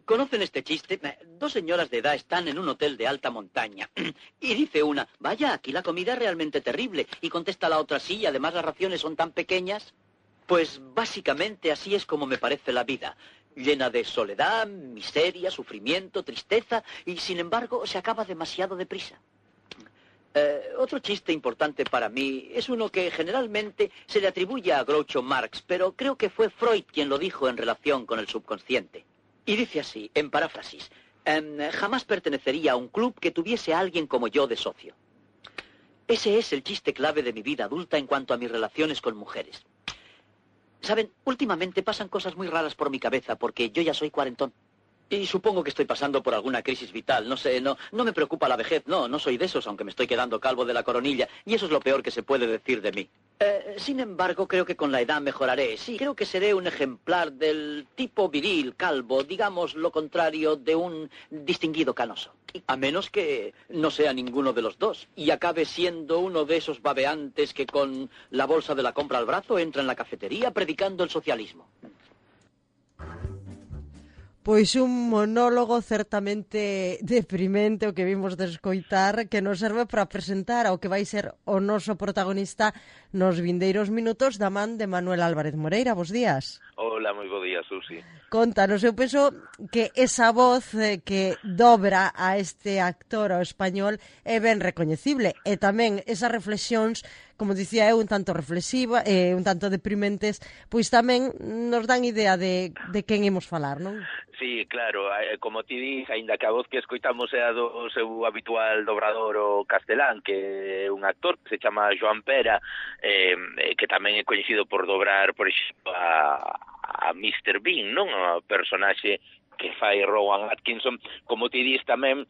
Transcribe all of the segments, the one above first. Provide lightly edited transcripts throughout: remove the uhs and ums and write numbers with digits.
¿Conocen este chiste? Dos señoras de edad están en un hotel de alta montaña. Y dice una, vaya, aquí la comida es realmente terrible. Y contesta la otra, sí, además las raciones son tan pequeñas. Pues básicamente así es como me parece la vida. Llena de soledad, miseria, sufrimiento, tristeza, y sin embargo se acaba demasiado deprisa. Otro chiste importante para mí es uno que generalmente se le atribuye a Groucho Marx, pero creo que fue Freud quien lo dijo en relación con el subconsciente. Y dice así, en paráfrasis, jamás pertenecería a un club que tuviese a alguien como yo de socio. Ese es el chiste clave de mi vida adulta en cuanto a mis relaciones con mujeres. Saben, últimamente pasan cosas muy raras por mi cabeza porque yo ya soy cuarentón. Y supongo que estoy pasando por alguna crisis vital, no sé, no me preocupa la vejez, no soy de esos, aunque me estoy quedando calvo de la coronilla, y eso es lo peor que se puede decir de mí. Sin embargo, creo que con la edad mejoraré, sí, creo que seré un ejemplar del tipo viril, calvo, digamos lo contrario de un distinguido canoso. A menos que no sea ninguno de los dos, y acabe siendo uno de esos babeantes que con la bolsa de la compra al brazo entra en la cafetería predicando el socialismo. Pois un monólogo certamente deprimente o que vimos de escoitar, que nos serve para presentar ao que vai ser o noso protagonista nos vindeiros minutos da man de Manuel Álvarez Moreira. Bos días. Hola, moi bo día, Susi. Contanos, eu penso que esa voz que dobra a este actor ao español é ben recoñecible, e tamén esas reflexións, como dicía eu, un tanto reflexiva, un tanto deprimentes, pois tamén nos dan idea de quen imos falar, non? Sí, claro, como ti dis, aínda que a voz que escoitamos é a do seu habitual dobrador o castelán, que é un actor que se chama Joan Pera, que tamén é coñecido por dobrar, por exemplo, a Mr. Bean, non? O personaxe que fai Rowan Atkinson, como ti dis tamén,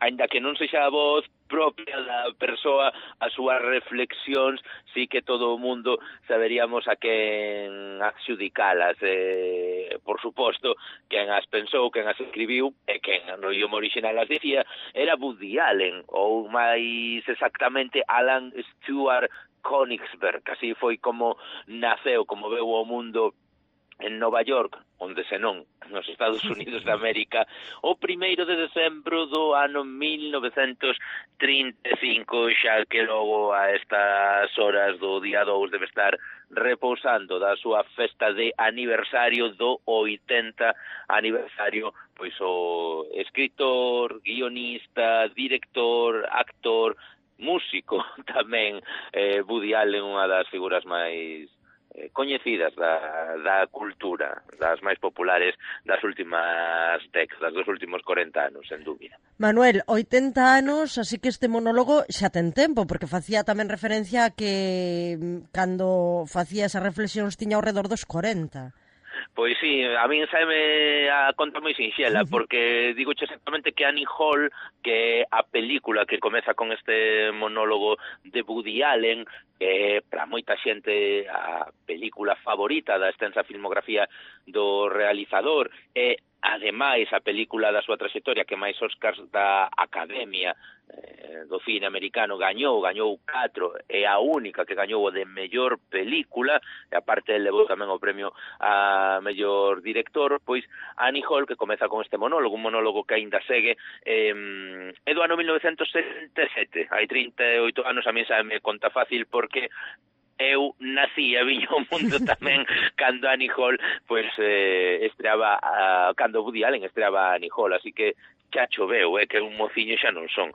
aínda que non sexa a voz propia da persoa, as súas reflexións, sí que todo o mundo saberíamos a quen adxudicalas. Por suposto, quen as pensou, quen as escribiu, e quen no idioma original as dicía, era Woody Allen, ou máis exactamente Alan Stewart Königsberg. Así foi como naceu, como veu o mundo en Nova York, onde senón nos Estados Unidos de América, o 1º de decembro do ano 1935, xa que logo a estas horas do día 2 debe estar repousando da súa festa de aniversario do 80 aniversario, pois o escritor, guionista, director, actor, músico tamén, Woody Allen, unha das figuras máis coñecidas da cultura, das máis populares das últimas décadas, dos últimos 40 anos, sen dúbida. Manuel, 80 anos, así que este monólogo xa ten tempo, porque facía tamén referencia a que cando facía esas reflexións tiña ao redor dos 40. Pois sí, a min saime a conta moi sinxela, porque digo exactamente que Annie Hall, que é a película que comeza con este monólogo de Woody Allen, que para moita xente a película favorita da extensa filmografía do realizador, e ademais a película da súa trayectoria que máis Oscars da Academia do cine americano gañou 4, é a única que gañou o de mellor película, e aparte levou tamén o premio a mellor director. Pois Annie Hall, que comeza con este monólogo, un monólogo que aínda segue, é do ano 1977, hai 38 anos. A mí xa me conta fácil porque eu nací e viño ao mundo tamén cando Annie Hall pois estreaba cando Woody Allen estreaba Annie Hall, así que xa choveu, que un mociño xa non son.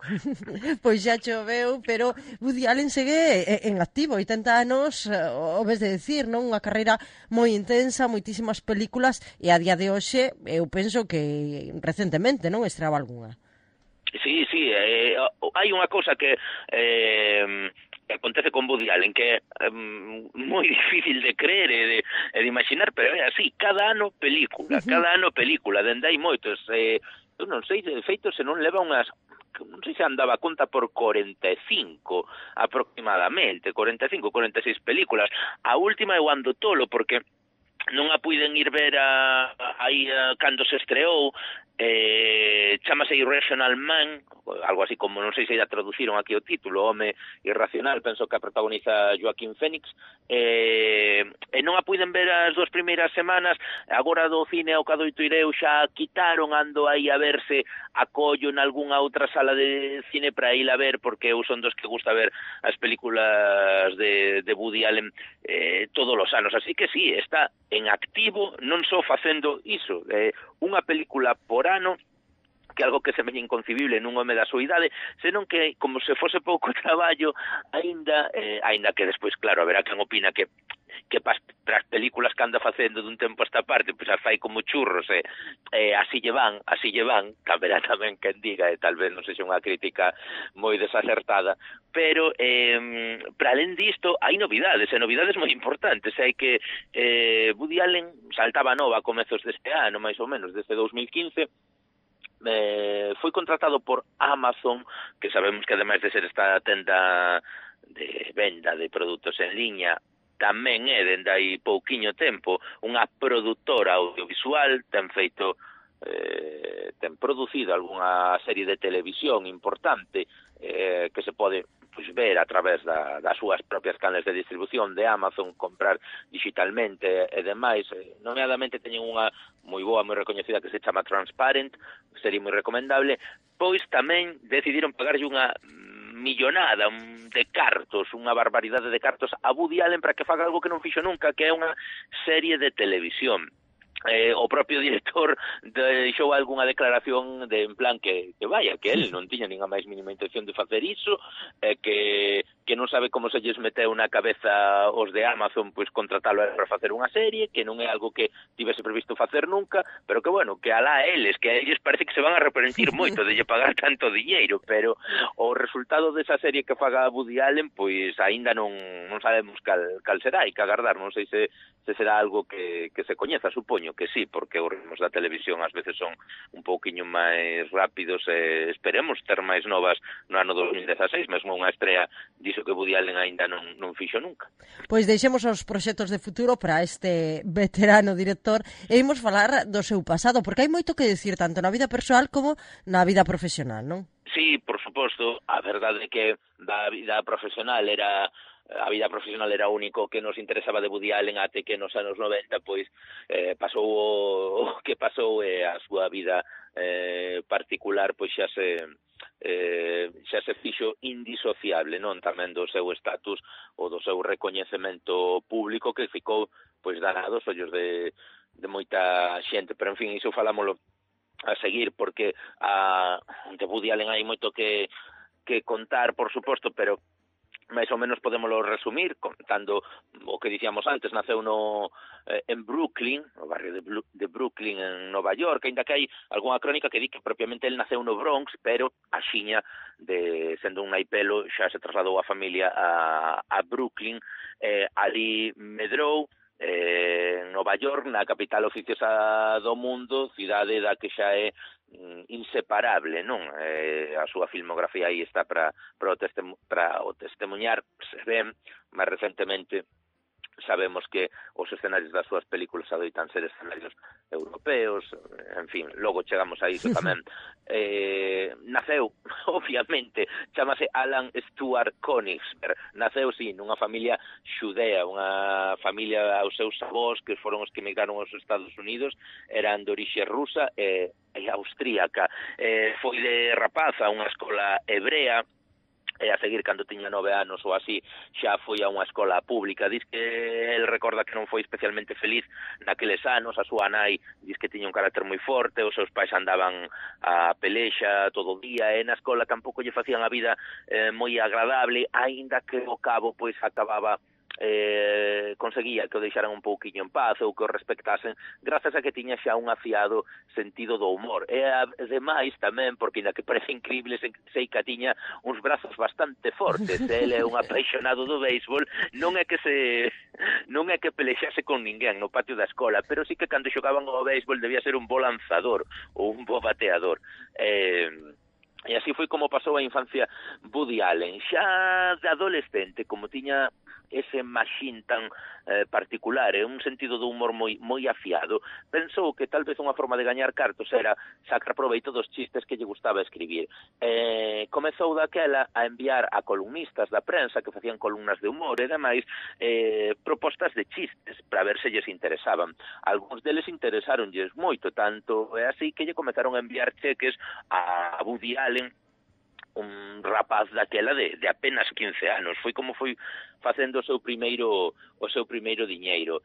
Pois xa choveu, pero Woody Allen segue en activo, 80 anos, o ves de decir, non? Unha carreira moi intensa, moitísimas películas, e a día de hoxe eu penso que recentemente, non, estreaba algunha. Sí, hai unha cousa que acontece con Woody Allen, que é moi difícil de creer e de imaginar, pero é así, cada ano película, dende hai moitos, eu non sei, de feito, se non leva unhas, non sei se andaba a conta por 45 aproximadamente, 45, 46 películas. A última eu ando tolo, porque non a puiden ir ver aí cando se estreou, Chámase Irrational Man, algo así como, non sei se a traduciron aquí o título, Home Irracional, penso que a protagoniza Joaquín Phoenix, e non a puiden ver as 2 primeiras semanas, agora do cine ao Cadoito Ireu xa quitaron, ando aí a verse acollo en algunha outra sala de cine para ir a ver, porque eu son dos que gusta ver as películas de Woody Allen todos os anos, así que sí, está en activo, non só facendo iso, unha película por ano, que algo que se me inconcebible nun home da súa idade, senón que, como se fose pouco traballo, aínda que despois, claro, haberá quen opina que para as películas que anda facendo dun tempo a esta parte, pois as fai como churros, así lle van, caberá tamén quen diga, e tal vez non sexa unha crítica moi desacertada, pero para alén disto hai novidades, e novidades moi importantes, hai que Woody Allen saltaba nova a comezos deste ano, máis ou menos, desde 2015, foi contratado por Amazon, que sabemos que ademais de ser esta tenda de venda de produtos en liña, tamén é, dende hai pouquiño tempo, unha produtora audiovisual, ten producido algunha serie de televisión importante que se pode ver a través das súas propias canles de distribución de Amazon, comprar digitalmente e demais. Nomeadamente teñen unha moi boa, moi recoñecida que se chama Transparent, sería moi recomendable. Pois tamén decidiron pagarlle unha millonada de cartos, unha barbaridade de cartos a Woody Allen para que faga algo que non fixo nunca, que é unha serie de televisión. O propio director deixou algunha declaración de en plan que vaya, que el non tiña nin a máis mínima intención de facer iso, que non sabe como se lles meteu na cabeza os de Amazon pois contratalo para facer unha serie, que non é algo que tivese previsto facer nunca, pero que bueno, que alá eles, que a eles parece que se van a arrepentir moito de lle pagar tanto diñeiro, pero o resultado desa serie que faga Woody Allen pois aínda non sabemos cal será, hai que agardar, non sei se será algo que se coñeza, supoño que sí, porque os ritmos da televisión ás veces son un pouquiño máis rápidos, esperemos ter máis novas no ano 2016, mesmo unha estrea diso que Woody Allen aínda non fixo nunca. Pois deixemos os proxectos de futuro para este veterano director e imos falar do seu pasado, porque hai moito que dicir tanto na vida persoal como na vida profesional, non? Sí, por suposto, a verdade é que a vida profesional era o único que nos interesaba de Woody Allen até que nos anos 90 pois pasou o que pasou e a súa vida particular pois xa se fixo indisociable, non, tamén do seu estatus ou do seu recoñecemento público que ficou pois danado aos ollos de moita xente, pero en fin, iso falámoslo a seguir porque de Woody Allen hai moito que contar, por suposto, pero máis ou menos podémoslo resumir contando o que dicíamos antes. Naceu en Brooklyn, no barrio de Brooklyn en Nova York, ainda que hai algunha crónica que di que propiamente el naceu no Bronx, pero axiña sendo un naipelo xa se trasladou a familia a Brooklyn, ali medrou en Nova York, na capital oficiosa do mundo, cidade da que xa é inseparable, non? A súa filmografía aí está para o testemunhar, se ven máis recentemente. Sabemos que os escenarios das súas películas adoitan ser escenarios europeos, en fin, logo chegamos a iso tamén. Naceu, obviamente, chamase Alan Stewart Konigsberg, naceu, sí, nunha familia xudea, unha familia aos seus avós, que foron os que emigraron aos Estados Unidos, eran de orixe rusa e austríaca. Foi de rapaz a unha escola hebrea, e a seguir, cando tiña 9 anos ou así, xa foi a unha escola pública. Diz que el recorda que non foi especialmente feliz naqueles anos, a súa nai diz que tiña un carácter moi forte, os seus pais andaban a pelexa todo o día, e na escola tampouco lle facían a vida moi agradable, aínda que ao cabo pois acababa conseguía que o deixaran un pouquiño en paz ou que o respectasen grazas a que tiña xa un afiado sentido do humor e ademais tamén porque ainda que parece increíble sei que tiña uns brazos bastante fortes. Ele é un apaixonado do béisbol, non é que pelexase con ninguén no patio da escola, pero sí que cando xogaban ao béisbol debía ser un bo lanzador ou un bo bateador. E así foi como pasou a infancia Woody Allen. Xa de adolescente, como tiña ese machín tan particular e un sentido do humor moi afiado, pensou que tal vez unha forma de gañar cartos era sacar proveito dos chistes que lle gustaba escribir. Comezou daquela a enviar a columnistas da prensa que facían columnas de humor e demais propostas de chistes para ver se lles interesaban. Algúns deles interesáronlles moito, tanto é así que lle comezaron a enviar cheques a Woody Allen, un rapaz daquela de apenas 15 anos. Foi como foi facendo o seu primeiro diñeiro.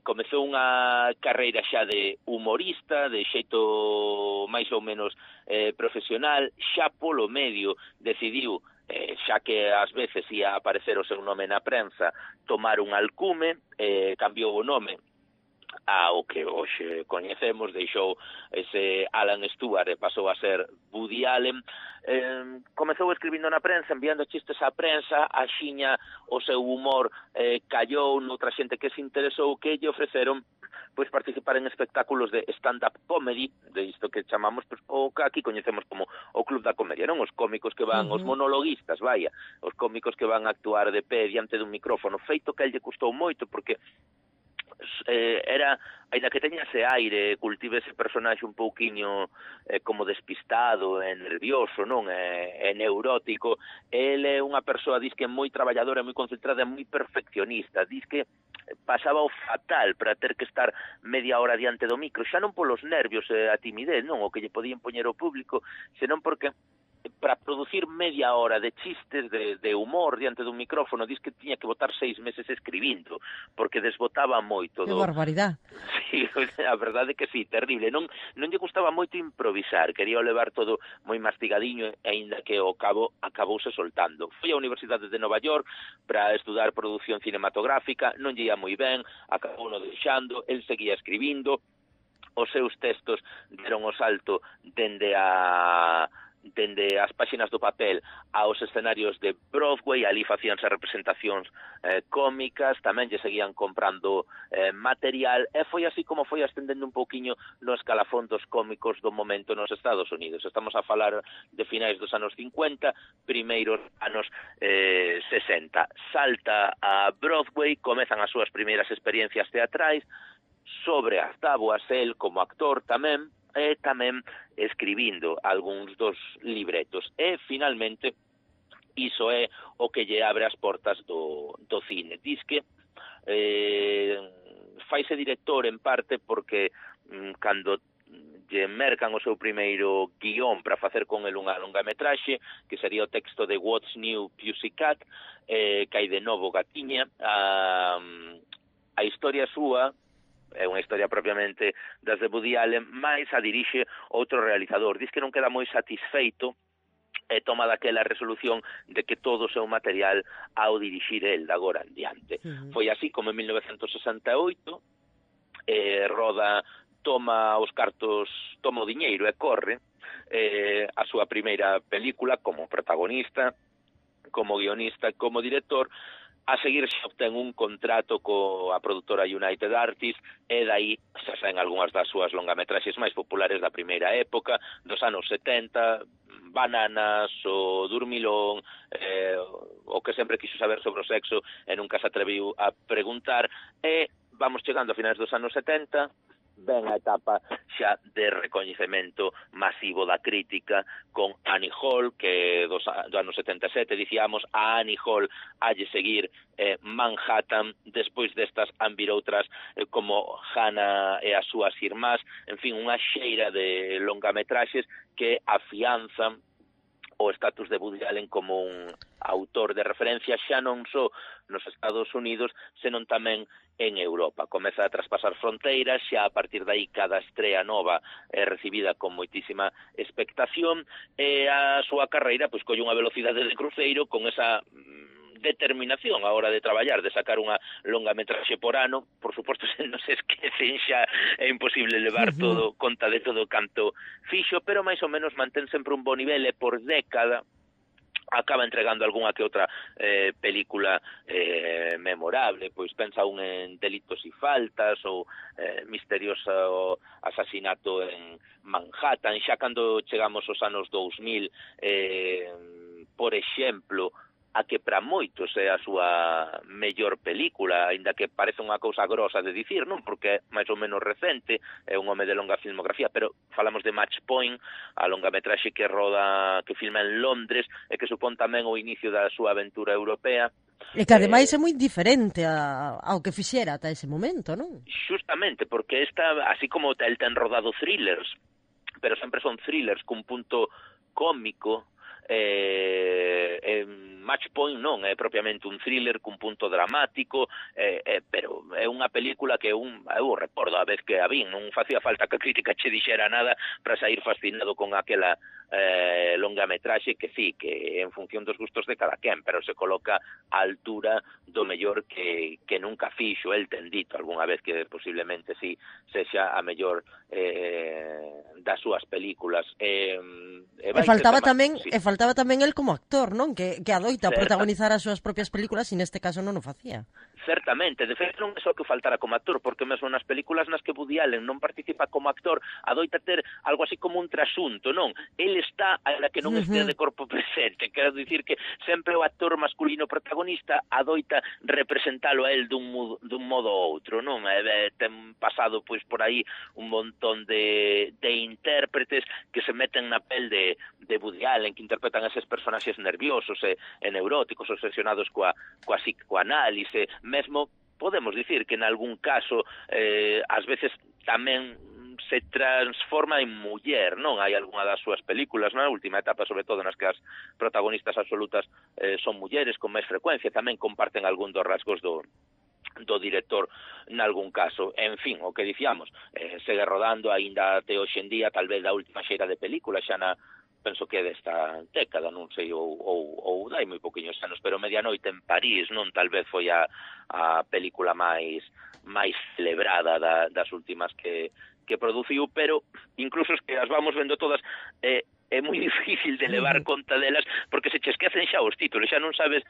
Comezou unha carreira xa de humorista, de xeito máis ou menos profesional, xa polo medio decidiu, xa que ás veces ia aparecer o seu nome na prensa, tomar un alcume, cambiou o nome ao que hoxe coñecemos, deixou ese Alan Stewart e pasou a ser Woody Allen. Comezou escribindo na prensa, enviando chistes á prensa, axiña o seu humor callou noutra xente que se interesou, que lle ofreceron pois participar en espectáculos de stand-up comedy, de isto que chamamos, pues, o que aquí coñecemos como o Club da Comedia, non? Os cómicos que van, os monologuistas, vaya, os cómicos que van a actuar de pé diante dun micrófono, feito que a lle custou moito, porque era, ainda que teña ese aire, cultive ese personaxe un pouquiño como despistado e nervioso, non? E neurótico, ele é unha persoa, diz que moi traballadora, moi concentrada, moi perfeccionista, diz que pasaba o fatal para ter que estar media hora diante do micro, xa non polos nervios e a timidez, non, o que lle podían poñer o público, senón porque para producir media hora de chistes, de humor diante dun micrófono, diz que tiña que botar 6 meses escribindo, porque desbotaba moito. Que barbaridade. Sí, a verdade é que sí, terrible. Non lle gustaba moito improvisar, quería levar todo moi mastigadiño, aínda que ao cabo acabouse soltando. Foi á Universidade de Nova York para estudar produción cinematográfica, non lle ia moi ben, acabou no deixando, el seguía escribindo, os seus textos deron o salto dende as páxinas do papel aos escenarios de Broadway, ali facíanse representacións cómicas, tamén lle seguían comprando material, e foi así como foi ascendendo un pouquiño no escalafón dos cómicos do momento nos Estados Unidos. Estamos a falar de finais dos anos 50, primeiros anos 60. Salta a Broadway, comezan as súas primeiras experiencias teatrais, sobre as táboas el como actor tamén, e tamén escribindo algúns dos libretos. E, finalmente, iso é o que lle abre as portas do cine. Diz que faise director en parte porque cando lle mercan o seu primeiro guión para facer con el unha longametraxe, que sería o texto de What's New Pussycat, que hai de novo gatiña, a historia súa é unha historia propiamente das de Woody Allen, máis a dirixe outro realizador. Diz que non queda moi satisfeito e toma daquela resolución de que todo o seu material ao dirixir el de agora en diante. Foi así como en 1968 roda, toma os cartos, toma o diñeiro e corre a súa primeira película como protagonista, como guionista, como director. A seguir se obtén un contrato coa produtora United Artists e dai xa saen algunhas das súas longametraxes máis populares da primeira época, dos anos 70, Bananas, o Durmilón, o que sempre quiso saber sobre o sexo e nunca se atreviu a preguntar, e vamos chegando a finais dos anos 70, ven a etapa xa de recoñecemento masivo da crítica con Annie Hall, que do ano 77, dicíamos, a Annie Hall halle seguir Manhattan, despois destas han vir outras como Hannah e as súas irmás, en fin, unha xeira de longametraxes que afianzan o estatus de Woody Allen como un autor de referencia xa non só nos Estados Unidos, senón tamén en Europa. Comeza a traspasar fronteiras, xa a partir de aí cada estrela nova é recibida con moitísima expectación, e a súa carreira pois colle unha velocidade de cruceiro con esa determinación a hora de traballar, de sacar unha longametraxe por ano. Por suposto, se non se esquecen xa, é imposible levar todo, conta de todo canto fixo, pero máis ou menos mantén sempre un bo nivel, e por década acaba entregando algunha que outra película memorable, pois pensa un en Delitos y Faltas ou misterioso asasinato en Manhattan. Xa cando chegamos aos anos 2000, por exemplo, a que para moitos é a súa mellor película, aínda que parece unha cousa grosa de dicir, non? Porque é máis ou menos recente, é un home de longa filmografía, pero falamos de Match Point, a longametraxe que filma en Londres e que supón tamén o inicio da súa aventura europea. E que ademais é moi diferente ao que fixera ata ese momento, non? Justamente, porque esta, así como el ten rodado thrillers, pero sempre son thrillers cun punto cómico, Match Point non é propiamente un thriller cun punto dramático, pero é unha película que eu recordo a vez que a vin, non facía falta que a crítica che dixera nada para sair fascinado con aquela longametraxe que sí, que en función dos gustos de cada quen, pero se coloca á altura do mellor que nunca fixo. El ten dito algunha vez que posiblemente sí sexa a mellor das súas películas. E faltaba tamén el como actor, non? Que adoita protagonizar as súas propias películas e neste caso non o facía. Certamente, de feito non é só que faltara como actor, porque mesmo nas películas nas que Woody Allen non participa como actor, adoita ter algo así como un trasunto, non? El está, a que non estea de corpo presente, quero dicir que sempre o actor masculino protagonista adoita representalo a él dun modo ou outro, non? Ten pasado pois por aí un montón de intérpretes que se meten na pel de Woody Allen, que interpretan eses personaxes nerviosos e neuróticos, obsesionados coa psicoanálise. Mesmo podemos dicir que en algún caso ás veces tamén se transforma en muller, non? Hai algunha das súas películas na última etapa, sobre todo nas que as protagonistas absolutas son mulleres con máis frecuencia, tamén comparten algún dos rasgos do director nalgún caso. En fin, o que dicíamos, segue rodando aínda até hoxe en día, tal vez da última xeira de película, xa penso que é desta década, non sei, ou dai moi poquinhos anos, pero Medianoite en París, non? Tal vez foi a película máis celebrada das últimas que produciu, pero incluso es que as vamos vendo todas, é moi difícil de levar conta delas, porque se che esquecen xa os títulos, xa non sabes,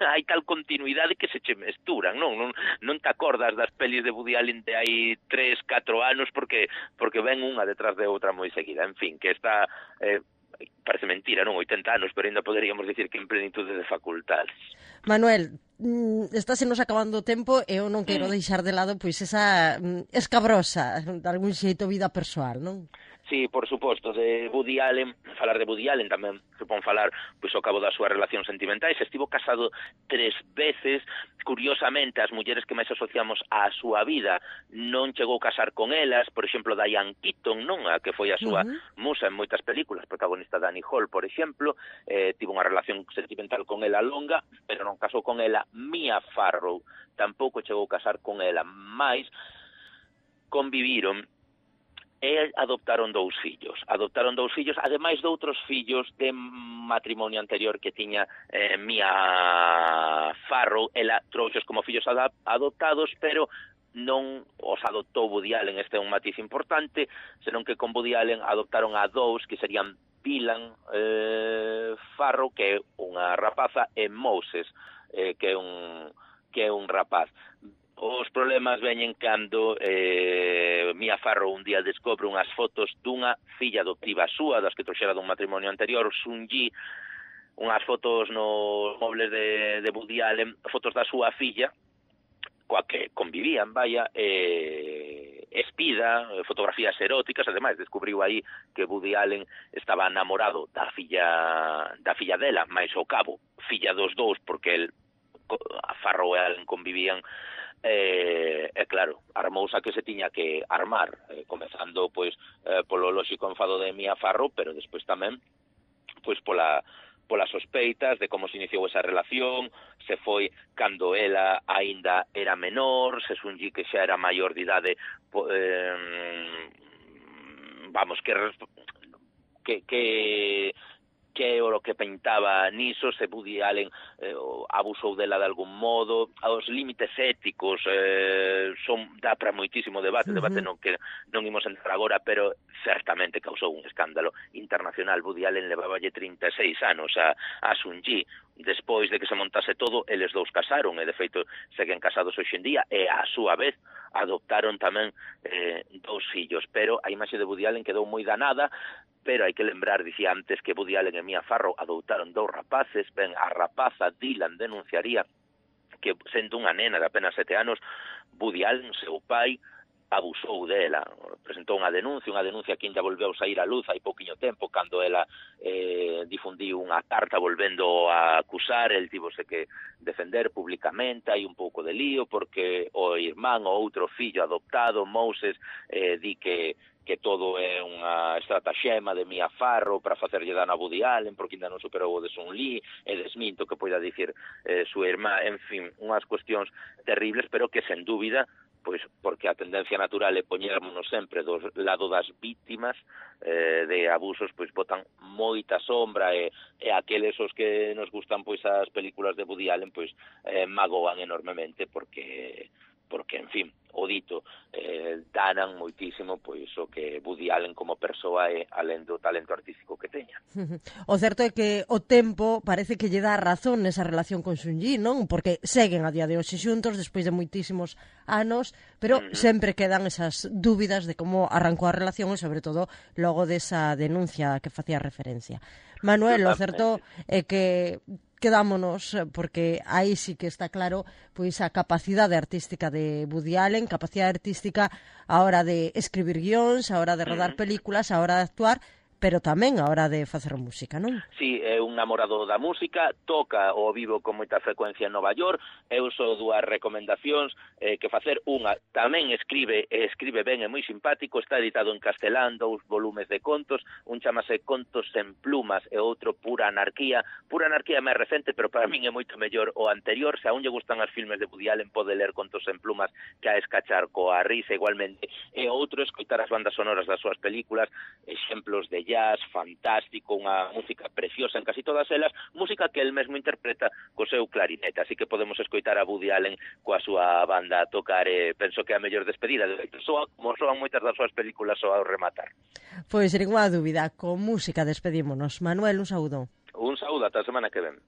hai tal continuidade que se che mesturan, non te acordas das pelis de Woody Allen de hai 3-4 anos, porque ven unha detrás de outra moi seguida. En fin, que está, parece mentira, non? 80 anos, pero ainda poderíamos dicir que en plenitude de facultades. Manuel, está se nos acabando o tempo e eu non quero deixar de lado pois esa escabrosa, de algún xeito, vida persoal, non? Sí, por suposto, de Woody Allen, falar de Woody Allen tamén se pon falar pois ao cabo das súas relacións sentimentais. Estivo casado 3 veces, curiosamente as mulleres que máis asociamos á súa vida non chegou a casar con elas, por exemplo Diane Keaton, non? A que foi a súa musa en moitas películas, protagonista Annie Hall, por exemplo, tivo unha relación sentimental con ela longa, pero non casou con ela. Mia Farrow tampouco chegou a casar con ela, máis conviviron e adoptaron 2 fillos, ademais de outros fillos de matrimonio anterior que tiña Mia Farrow. Ela trouxos como fillos adoptados, pero non os adoptou Woody Allen. Este é un matiz importante, senón que con Woody Allen adoptaron a 2 que serían Dylan Farrow, que é unha rapaza, e Moses, que é un rapaz. Os problemas veñen cando Mia Farrow un día descobre unhas fotos dunha filla adoptiva súa, das que trouxera dun matrimonio anterior, Sun-Yi, unhas fotos nos mobles de Woody Allen, fotos da súa filla, coa que convivían, espida, fotografías eróticas. Ademais, descubriu aí que Woody Allen estaba namorado da filla dela, máis ao cabo, filla dos 2, porque a Farrow e Allen convivían. Claro, armouse a que se tiña que armar, comezando pois polo lóxico enfado de Mia Farrow, pero despois tamén pois polas sospeitas de como se iniciou esa relación. Se foi cando ela aínda era menor, se Sun-Yi que xa era maior de idade, vamos, que que é o que pintaba niso, se Woody Allen abusou dela de algún modo, os límites éticos dá para moitísimo debate, debate non que non imos entrar agora, pero certamente causou un escándalo internacional. Woody Allen leváballe 36 anos a Sun-Yi, despois de que se montase todo, eles dous casaron, e de feito seguen casados hoxe en día, e a súa vez adoptaron tamén 2 fillos, pero a imaxe de Woody Allen quedou moi danada. Pero hai que lembrar, dicía antes, que Woody Allen e Mia Farrow adoutaron 2 rapaces. Ben, a rapaza Dylan denunciaría que, sendo unha nena de apenas 7 anos, Woody Allen, seu pai, abusou dela. Presentou unha denuncia que ainda volveu sair a luz hai pouquiño tempo, cando ela difundiu unha carta volvendo a acusar. El tivose que defender públicamente, hai un pouco de lío, porque o irmán, o outro fillo adoptado, Moses, di que todo é unha estratagema de Mia Farrow para facerlle dano a Woody Allen, porque ainda non superou o de Sun-Yi, e desminto que poida dicir súa irmá. En fin, unhas cuestións terribles, pero que, sen dúbida, pois porque a tendencia natural é poñermonos sempre do lado das vítimas de abusos, pois botan moita sombra, e aqueles os que nos gustan pois as películas de Woody Allen pois magoan enormemente, porque en fin, o dito, danan moitísimo pois o que Woody Allen como persoa é, alén do talento artístico que teña. O certo é que o tempo parece que lle dá razón nesa relación con Sun-Yi, non? Porque seguen a día de hoxe xuntos despois de moitísimos anos, pero sempre quedan esas dúbidas de como arrancou a relación, e sobre todo logo desa denuncia que facía referencia. Manuel, o certo é que quedámonos, porque aí sí que está claro pois a capacidade artística de Woody Allen, capacidade artística a hora de escribir guións, a hora de rodar películas, a hora de actuar, pero tamén a hora de facer música, non? Sí, é un namorado da música, toca ao vivo con moita frecuencia en Nova York. Eu só 2 recomendacións que facer. Unha, tamén escribe ben, é moi simpático, está editado en castelán, 2 volumes de contos, un chamase Contos en plumas e outro Pura Anarquía. Pura Anarquía é máis recente, pero para min é moito mellor o anterior. Se aún lle gustan os filmes de Woody Allen, pode ler Contos en plumas, que a escachar coa risa igualmente. E outro, escoitar as bandas sonoras das súas películas, exemplos de jazz fantástico, unha música preciosa en casi todas elas, música que el mesmo interpreta co seu clarinete, así que podemos escoitar a Woody Allen coa súa banda a tocar, e penso que é a mellor despedida, como soan moitas das súas películas ao rematar. Pois, ninguna dúbida, con música despedímonos. Manuel, un saúdo. Un saúdo, ata a semana que ven.